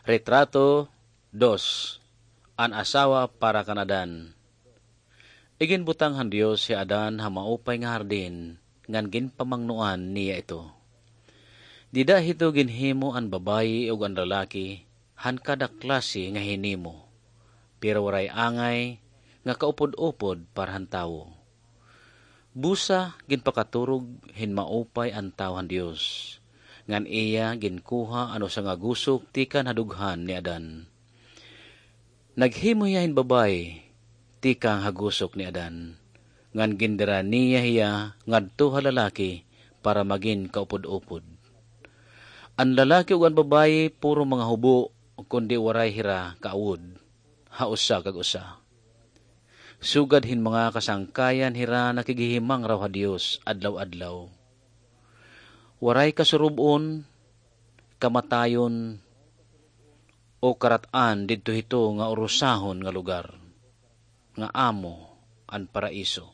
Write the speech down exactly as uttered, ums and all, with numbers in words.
Retrato dos, an asawa para kan Adan. Iginbutang han Dios hi Adan ha maupay nga hardin, ngan ginpamangnoan niya ito. Dida hito ginhimo an babayi ug an lalaki han kada klase nga hinimo, pero waray angay nga kaupod-upod para han tawo. Busa ginpakaturog hin maupay an tawo han Dios, ngan iya ginkuha an usa nga gusok tikang ha dughan ni Adan. Naghimo hiya hin babayi tikang ha gusok ni Adan, ngan gindara niya hiya ngadto ha lalaki para magin kaupod-upod. An lalaki ug an babayi puro mga hubo, kundi waray hira kaawod ha usa kag usa. Sugad hin mga kasangkayan hira nakighihimangraw ha Dios adlaw-adlaw. Waray kasurub-on, kamatayon, o karat-an didto hito nga urusahon nga lugar, nga amo an paraiso.